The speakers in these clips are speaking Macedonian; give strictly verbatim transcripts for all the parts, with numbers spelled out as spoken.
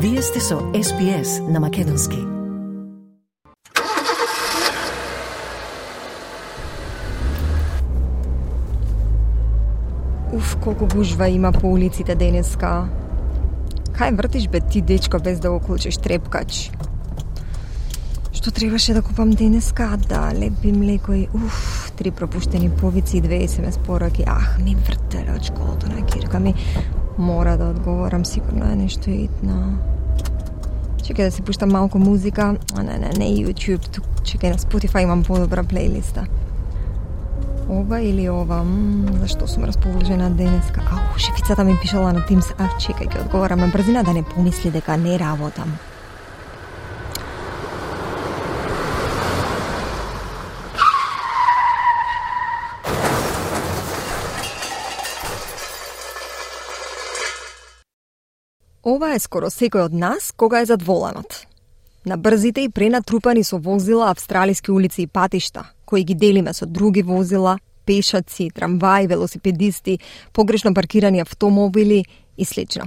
Вие сте со Ес Би Ес на Македонски. Уф, колку гужва има по улиците денеска. Кај вртиш бе ти, дечко, без да го клучиш трепкач? Што требаше да купам денеска? Да, лепи млеко и уф, три пропуштени повици и две ес ем ес пораки. Ах, ми вртеле од школото на кирка ми. Мора да одговорам, сигурно е нешто итно. Чекај да си пуштам малку музика. А не, не, не YouTube, тук чекај на Spotify имам подобра плейлиста. Ова или ова? Мм, зашто сум расположена денеска? Ау, шефицата ми пишала на Teams. А, чекај, ќе одговорам на брзина да не помисли дека не работам. Ова е скоро секој од нас кога е зад воланот. На брзите и пренатрупани со возила австралиски улици и патишта, кои ги делиме со други возила, пешаци, трамваи, велосипедисти, погрешно паркирани автомобили и слично.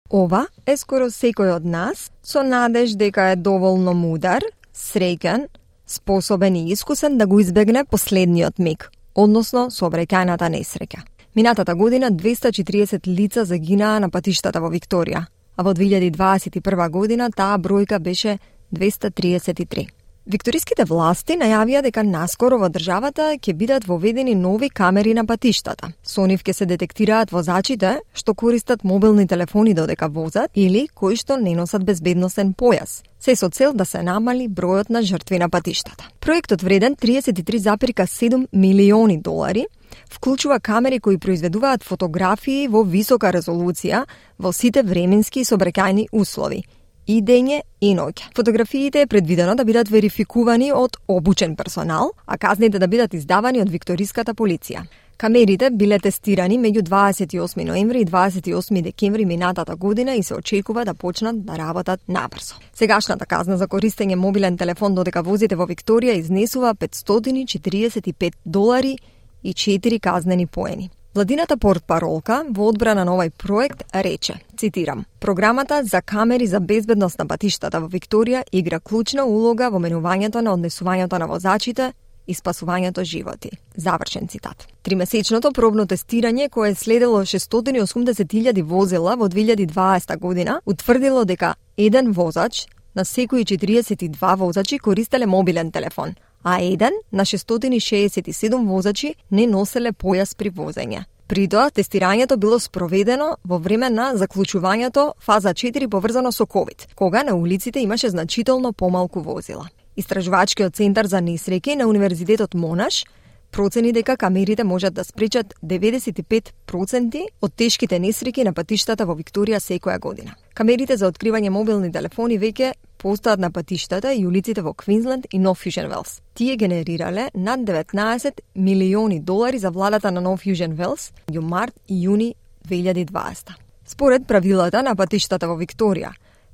Ова е скоро секој од нас со надеж дека е доволно мудар, среќен, способен и искусен да го избегне последниот миг, односно сообраќајната несреќа. Минатата година двеста и четиридесет лица загинаа на патиштата во Викторија, а во две илјади дваесет и прва година таа бројка беше двеста триесет и три. Викториските власти најавија дека наскоро во државата ќе бидат воведени нови камери на патиштата. Со нив ќе се детектираат возачите што користат мобилни телефони додека возат или кои што не носат безбедносен појас, се со цел да се намали бројот на жртви на патиштата. Проектот вреден триесет и три зарез и седум милиони долари вклучува камери кои произведуваат фотографии во висока резолуција во сите временски и сообраќајни услови, и дење и ноќе. Фотографиите е предвидено да бидат верификувани од обучен персонал, а казните да бидат издавани од викториската полиција. Камерите биле тестирани меѓу дваесет и осми ноември и дваесет и осми декември минатата година и се очекува да почнат да работат набрзо. Сегашната казна за користење мобилен телефон додека возите во Викторија изнесува петстотини и четиридесет и пет долари и четири казнени поени. Владината портпаролка во одбрана на овој проект рече, цитирам: "Програмата за камери за безбедност на патиштата во Викторија игра клучна улога во менувањето на однесувањето на возачите и спасувањето животи." Завршен цитат. Тримесечното пробно тестирање кое е следело шестстотини и осумдесет илјади возила во две илјади и дваесета година утврдило дека еден возач на секои четиристотини и два возачи користеле мобилен телефон, а еден на шестстотини и шеесет и седум возачи не носеле појас при возење. При тоа, тестирањето било спроведено во време на заклучувањето фаза четири поврзано со ковид, кога на улиците имаше значително помалку возила. Истражувачкиот центар за несреќи на Универзитетот Монаш процени дека камерите можат да спречат деветдесет и пет проценти од тешките несреќи на патиштата во Викторија секоја година. Камерите за откривање мобилни телефони веќе постојат на патиштата и улиците во Квинсленд и Нов Јужен Велс. Тие генерирале над деветнаесет милиони долари за владата на Нов Јужен Велс меѓу март и јуни две илјади и дваесета. Според правилата на патиштата во Викторија,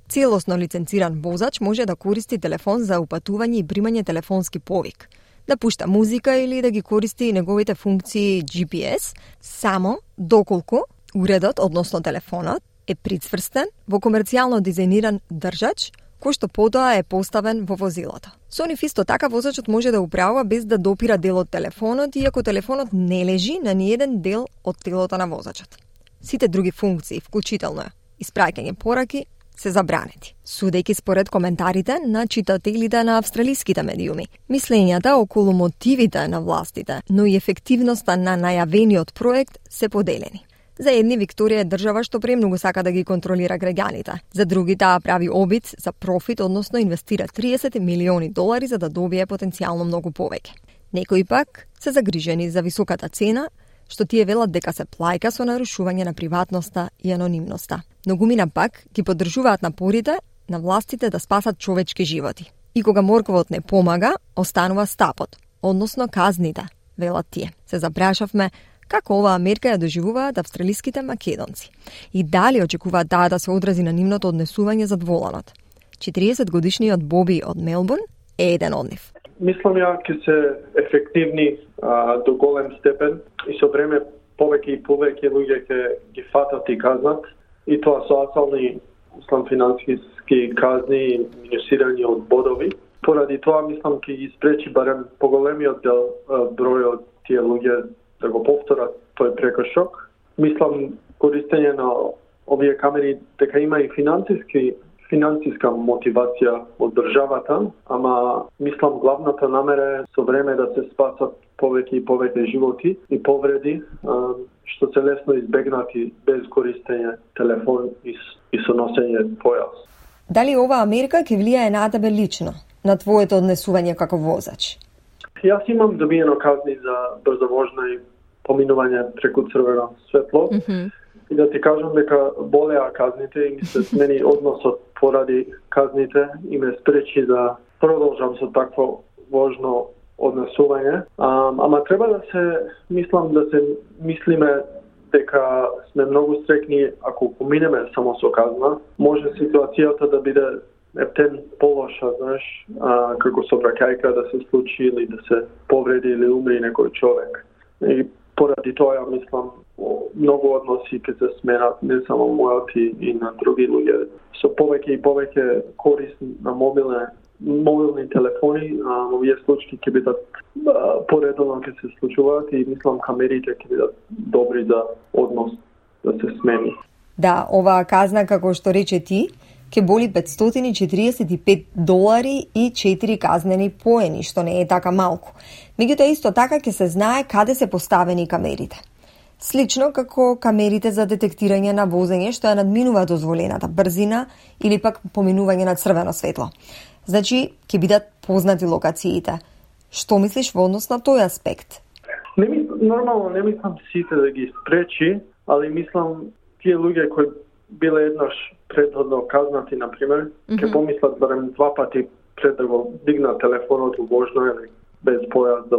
целосно лиценциран возач може да користи телефон за упатување и примање телефонски повик, да пушта музика или да ги користи неговите функции Джи Пи Ес, само доколку уредот, односно телефонот, е прицврстен во комерцијално дизајниран држач, кој што потоа е поставен во возилото. Со нив исто така возачот може да управува без да допира дел од телефонот, иако телефонот не лежи на ниеден дел од телото на возачот. Сите други функции, вклучително испраќање пораки, се забранети. Судејќи според коментарите на читателите на австралиските медиуми, мислењата околу мотивите на властите, но и ефективноста на најавениот проект се поделени. За едни Викторија е држава што премногу сака да ги контролира граѓаните. За други таа прави обид за профит, односно инвестира триесет милиони долари за да добие потенцијално многу повеќе. Некои пак се загрижени за високата цена, што тие велат дека се плаќа со нарушување на приватноста и анонимноста. Многумина пак ги поддржуваат напорите на властите да спасат човечки животи. И кога морковот не помага, останува стапот, односно казните, велат тие. Се запрашавме како оваа мерка ја доживуваат австралиските македонци и дали очекуваат таа да се одрази на нивното однесување зад воланот. четириесет годишниот Боби од Мелбурн е еден од нив. Мислам ја ќе се ефективни а, до голем степен и со време повеќе и повеќе луѓе ќе ги фатат и казнат и тоа со асални мислам, финансиски казни и минусирање од бодови. Поради тоа, мислам, ќе ги спречи барем поголемиот дел број од тие луѓе да го повторат тој прекршок. Мислам, користење на овие камери дека има и финансиски финансиска мотивација од државата, ама мислам главната намера е со време да се спасат повеќе и повеќе животи и повреди, што се лесно избегнати без користење телефон и со носење појас. Дали ова мерка ќе влијае на тебе лично, на твоето однесување како возач? Јас имам добиено казни за брза вожна и поминување преку црвено светло. Mm-hmm. И да ти кажам дека болеа казните и ми се смени односот поради казните и ме спречи да продолжам со такво вожно однесување. А, ама треба да се, мислам, да се мислиме дека сме многу стрекни ако поминеме само со казна. Може ситуацијата да биде ептен полоша, знаеш, а, како сообраќајка да се случи или да се повреди или умри некој човек. И поради тоа, ја мислам, многу односи ќе се сменат, не само мојот и, и на други луѓе. Со повеќе и повеќе корист на мобилне, мобилни телефони, а овие случаи ќе бидат поредовно ќе се случуваат и мислам камерите ќе бидат добри за однос да се смени. Да, оваа казна, како што рече ти, ќе боли петстотини и четиридесет и пет долари и четири казнени поени, што не е така малку. Меѓутоа исто така ќе се знае каде се поставени камерите. Слично како камерите за детектирање на возење што ја надминува дозволената брзина или пак поминување на црвено светло. Значи, ќе бидат познати локациите. Што мислиш во однос на тој аспект? Не ми, нормално не мислам сите да ги спречи, али мислам тие луѓе кои биле еднаш предходно казнати, например, mm-hmm. ќе помислат барем два пати пред да го дигнат телефонот во вожно или без појас да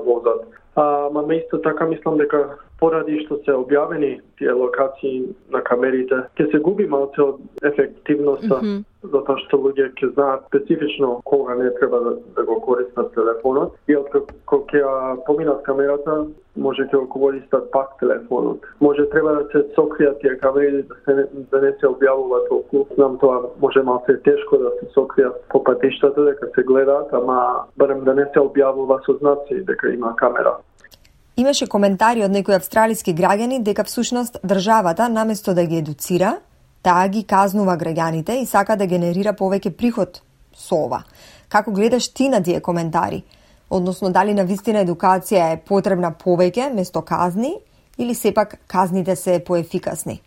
возат. А, ма исто така мислам дека поради што се објавени тие локации на камерите, ќе се губи малце од ефективноста, mm-hmm. затоа што луѓе ќе знаат специфично кога не треба да, да го користат телефонот и откако ќе поминат камерата, може ќе го користат пак телефонот. Може треба да се сокријат тие камери да, се, да не се објавува толку. Знам тоа може малце тешко да се сокријат по патиштата дека се гледаат, ама барем да не се објавува со знаци дека има камера. Имаше коментари од некои австралиски граѓани дека всушност државата наместо да ги едуцира, таа ги казнува граѓаните и сака да генерира повеќе приход со ова. Како гледаш ти на тие коментари? Односно, дали на вистина едукација е потребна повеќе место казни или сепак казните се поефикасни?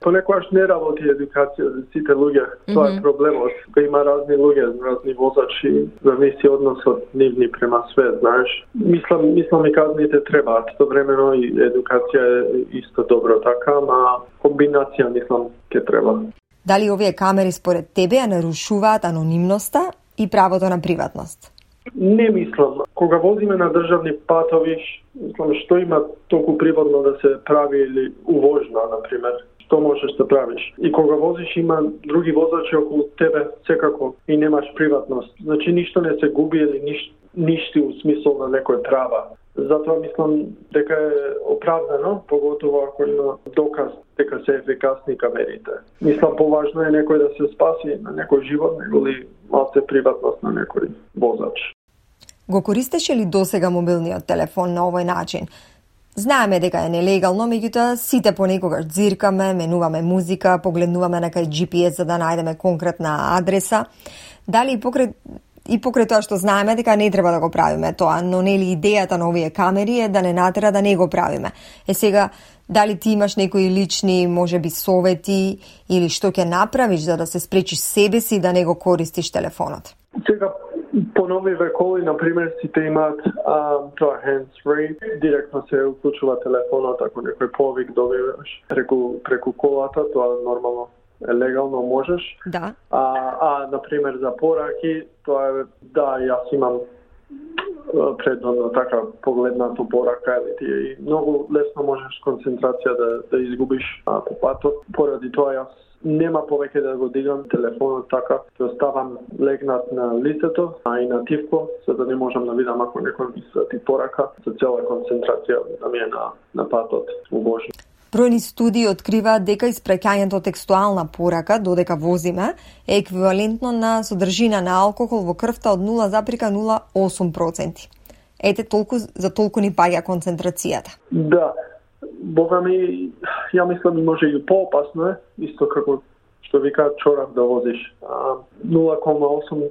Понекогаш не работи едукација за сите луѓе. Тоа е проблемот. Кога има разни луѓе, разни возачи, зависи односот нивни према свет, знаеш. Мислам, мислам и казните требаат. Истовремено и едукација е исто добро така, ама комбинација мислам ќе треба. Дали овие камери според тебе ја нарушуваат анонимноста и правото на приватност? Не мислам. Кога возиме на државни патови, мислам што има толку приватно да се прави или увожна, например. Што можеш да правиш. И кога возиш има други возачи околу тебе секако и немаш приватност. Значи ништо не се губи или ниш, ништи у смисол на некој права. Затоа мислам дека е оправдано, поготово ако има доказ дека се ефикасни камерите. Мислам поважно е некој да се спаси на некој живот, него ли малце приватност на некој возач. Го користеше ли досега мобилниот телефон на овој начин? Знаеме дека е нелегално, меѓутоа сите понекогаш дзиркаме, менуваме музика, погледнуваме на кај Джи Пи Ес за да најдеме конкретна адреса. Дали и покрај, и покрај тоа што знаеме дека не треба да го правиме тоа, но нели идејата на овие камери е да не натера да не го правиме. Е сега, дали ти имаш некои лични, можеби совети или што ќе направиш за да се спречиш себе си да не го користиш телефонот? Сега по нови векови, например, сите имаат а, тоа hands-free, директно се уклучува телефонот, ако некој повик добиваш преку, преку колата, тоа нормално е легално, можеш. Да. А, а например, за пораки, тоа е, да, јас имам предходно така погледнато порака, или ти и многу лесно можеш концентрација да, да изгубиш а, по патот. Поради тоа јас нема повеќе да го дигам телефонот така, ќе оставам легнат на лицето, а и на тивко, за да не можам да видам ако некој ми свати порака, за цела концентрација да ми е на, на патот во вожна. Бројни студии откриваат дека испраќањето текстуална порака додека возиме е еквивалентно на содржина на алкохол во крвта од нула зарез нула осум проценти. Ете толку за толку ни паѓа концентрацијата. Да, бога ми, ја мислам може и поопасно е, исто како што викаат чорав да возиш. нула зарез осум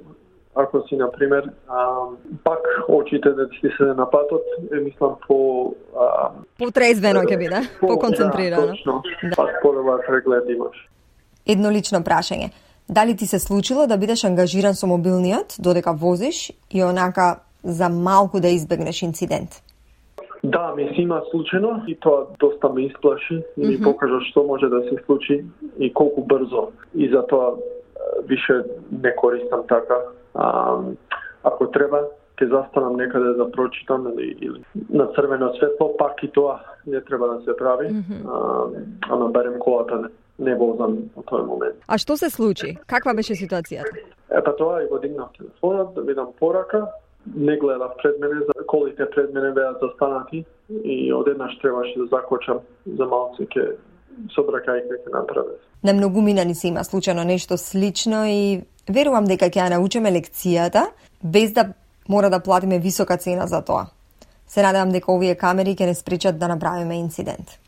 ако си, например, а, пак очите да ти се на патот, е, мислам, по... А, Потрезвено ќе биде, по, поконцентрирано. Да, точно. Да. Пак по-добар преглед имаш. Едно лично прашање. Дали ти се случило да бидеш ангажиран со мобилниот додека возиш и онака за малку да избегнеш инцидент? Да, ми се има случено и тоа доста ме исплаши и ми mm-hmm. покажа што може да се случи и колку брзо. И затоа више не користам така. А, ако треба, ќе застанам некаде да прочитам или, или на црвено светло, пак и тоа не треба да се прави, mm-hmm. а, а наберем колата не, не возам во тој момент. А што се случи? Каква беше ситуацијата? Епа тоа и го дигнав телефонот, да видам порака, не гледав пред мене, колите пред мене беа застанати и одеднаш требаше да закочам за малце ке собракајка ќе направи. На многумина ни се има случајно нешто слично и верувам дека ќе ја научиме лекцијата без да мора да платиме висока цена за тоа. Се надевам дека овие камери ќе не спречат да направиме инцидент.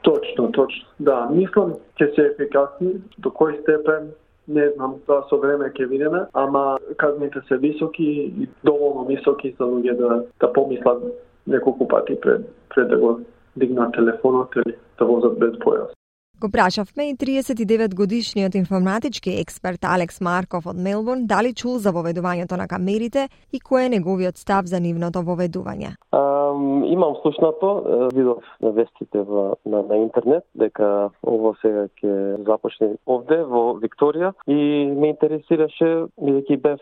Точно, точно. Да, мислам ќе се ефикасни, до кој степен не знам, тоа со време ќе видиме, ама казните се високи и доволно високи за луѓе да да помислат неколку пати пред пред да го дигнат телефонот или да возат без појас. Го прашавме и триесет и девет годишниот информатички експерт Алекс Марков од Мелбурн дали чул за воведувањето на камерите и кој е неговиот став за нивното воведување. Um, имам слушнато, видов на вестите во, на, на интернет дека ово сега ќе започне овде во Викторија и ме интересираше бидејќи бев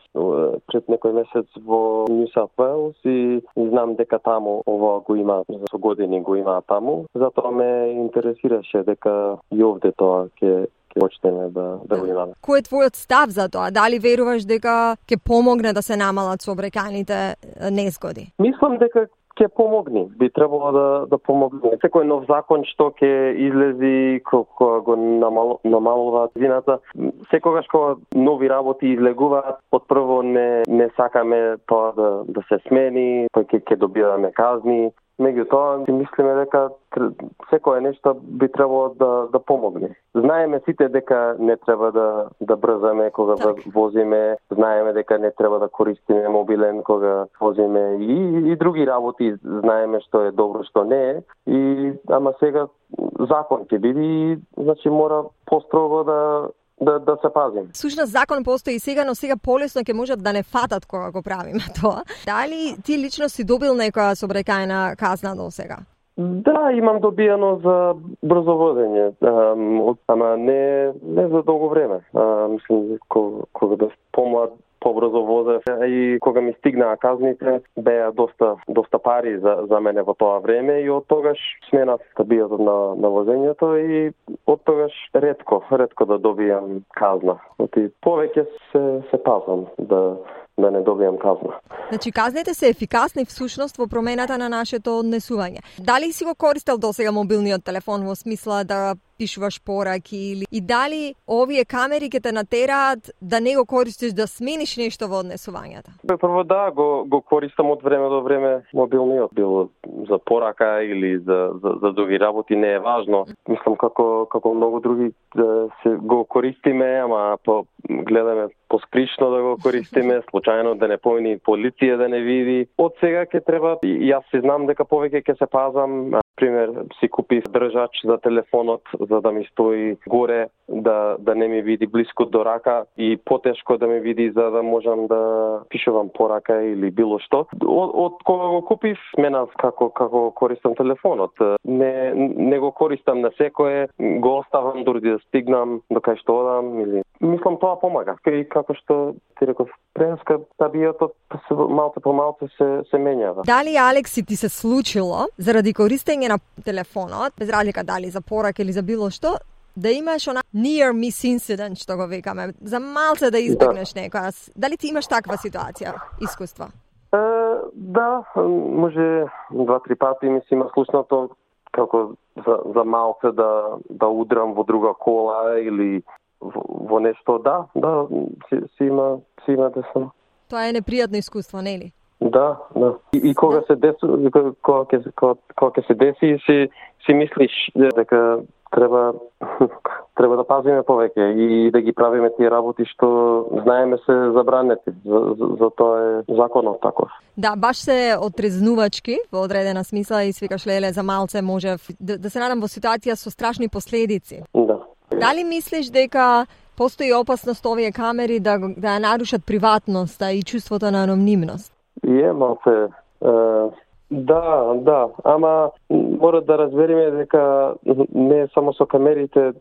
пред некој месец во Нью Саут Вејлс и знам дека таму ово го има со години го има таму, затоа ме интересираше дека и овде тоа ќе ќе почнеме да да го имаме. Кој е твојот став за тоа? Дали веруваш дека ќе помогне да се намалат сообраќајните незгоди? Мислам дека ќе помогне. Би требало да да помогне. Секој нов закон што ќе излези кога го намал, намалуваат вината, секогаш кога нови работи излегуваат, отпрво не не сакаме тоа да да се смени, па ќе ќе добиваме казни. Меѓутоа, си мислиме дека секое нешто би требало да да помогне. Знаеме сите дека не треба да да брзаме кога так. возиме, знаеме дека не треба да користиме мобилен кога возиме и и други работи, знаеме што е добро, што не е. И ама сега закон ќе биде, значи мора построго да да да се пазим. Сушност закон постои сега, но сега полесно ќе можат да не фатат кога го правиме тоа. Дали ти лично си добил некоја сообраќајна казна до сега? Да, имам добиено за брзо водење, ама не не за долго време. А, мислам кога, кога бев помлад побрзо возев и кога ми стигнаа казните беа доста доста пари за за мене во тоа време и од тогаш сменав стабилот на на возењето и од тогаш ретко ретко да добијам казна. Оти повеќе се се пазам да да не добијам казна. Значи казните се ефикасни всушност во промената на нашето однесување. Дали си го користел досега мобилниот телефон во смисла да пишуваш пораки или и дали овие камери ќе те натераат да не го користиш да смениш нешто во однесувањето? Прво да, го го користам од време до време мобилниот, било за порака или за за, за други работи, не е важно. Мислам како како многу други да се го користиме, ама по гледаме поскришно да го користиме, случајно да не помини полиција да не види. Од сега ќе треба, и јас си знам дека повеќе ќе се пазам. Пример, си купив држач за телефонот за да ми стои горе, да да не ми види блиску до рака и потешко да ми види за да можам да пишувам порака или било што. Од, од кога го купив, сменав како како користам телефонот. Не не го користам на секое, го оставам дури да стигнам до кај што одам или мислам тоа помага. И како што ти реков, преска табијата малце по малце се се менјава. Дали Алекси ти се случило заради користење на телефонот, без разлика дали за порака или за било што, да имаш она near miss incident што го викаме, за малце да избегнеш да. Некоја. Дали ти имаш таква ситуација, искуства? Е, да, може два-три пати ми се има слушнато како за, за малце да, да удрам во друга кола или во, во нешто, да, да, си, си има, си има десна. Тоа е непријатно искуство, нели? Да, да. И, и кога да. се деси, кога ќе кога, кога ќе се деси, си си мислиш дека треба треба да пазиме повеќе и да ги правиме тие работи што знаеме се забранети. За, за, за тоа е законот таков. Да, баш се отрезнувачки во одредена смисла и свикаш леле за малце може да, да се надам во ситуација со страшни последици. Да. Дали мислиш дека постои опасност овие камери да да ја нарушат приватноста и чувството на анонимност? И е малце е, да, да, ама мора да разбереме дека не само со камерите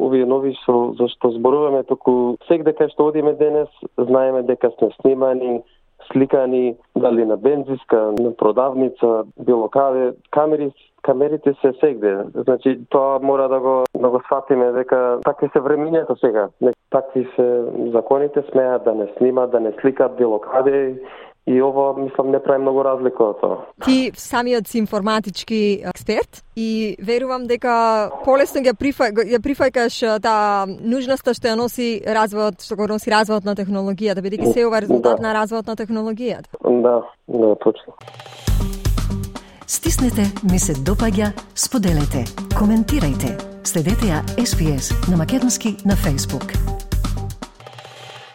овие нови со зашто зборуваме, туку секаде кај што одиме денес знаеме дека сме снимани, сликани, дали на бензиска, на продавница, било каде, камери камерите се сегде. Значи тоа мора да го да го сфатиме дека такви се времињата сега. Такви се законите, смеат да не снимат, да не сликат било каде. И ово, мислам, не прави многу разлика од тоа. Ти самиот си информатички експерт и верувам дека полесно ја прифа, ја прифаќаш таа нужноста што ја носи развојот, што го носи развојот на технологијата, бидејќи се ова резултат да. на развојот на технологијата. Да, да, точно. Стиснете, ми се допаѓа, споделете, коментирајте. Следете ја Ес Би Ес на македонски на Facebook.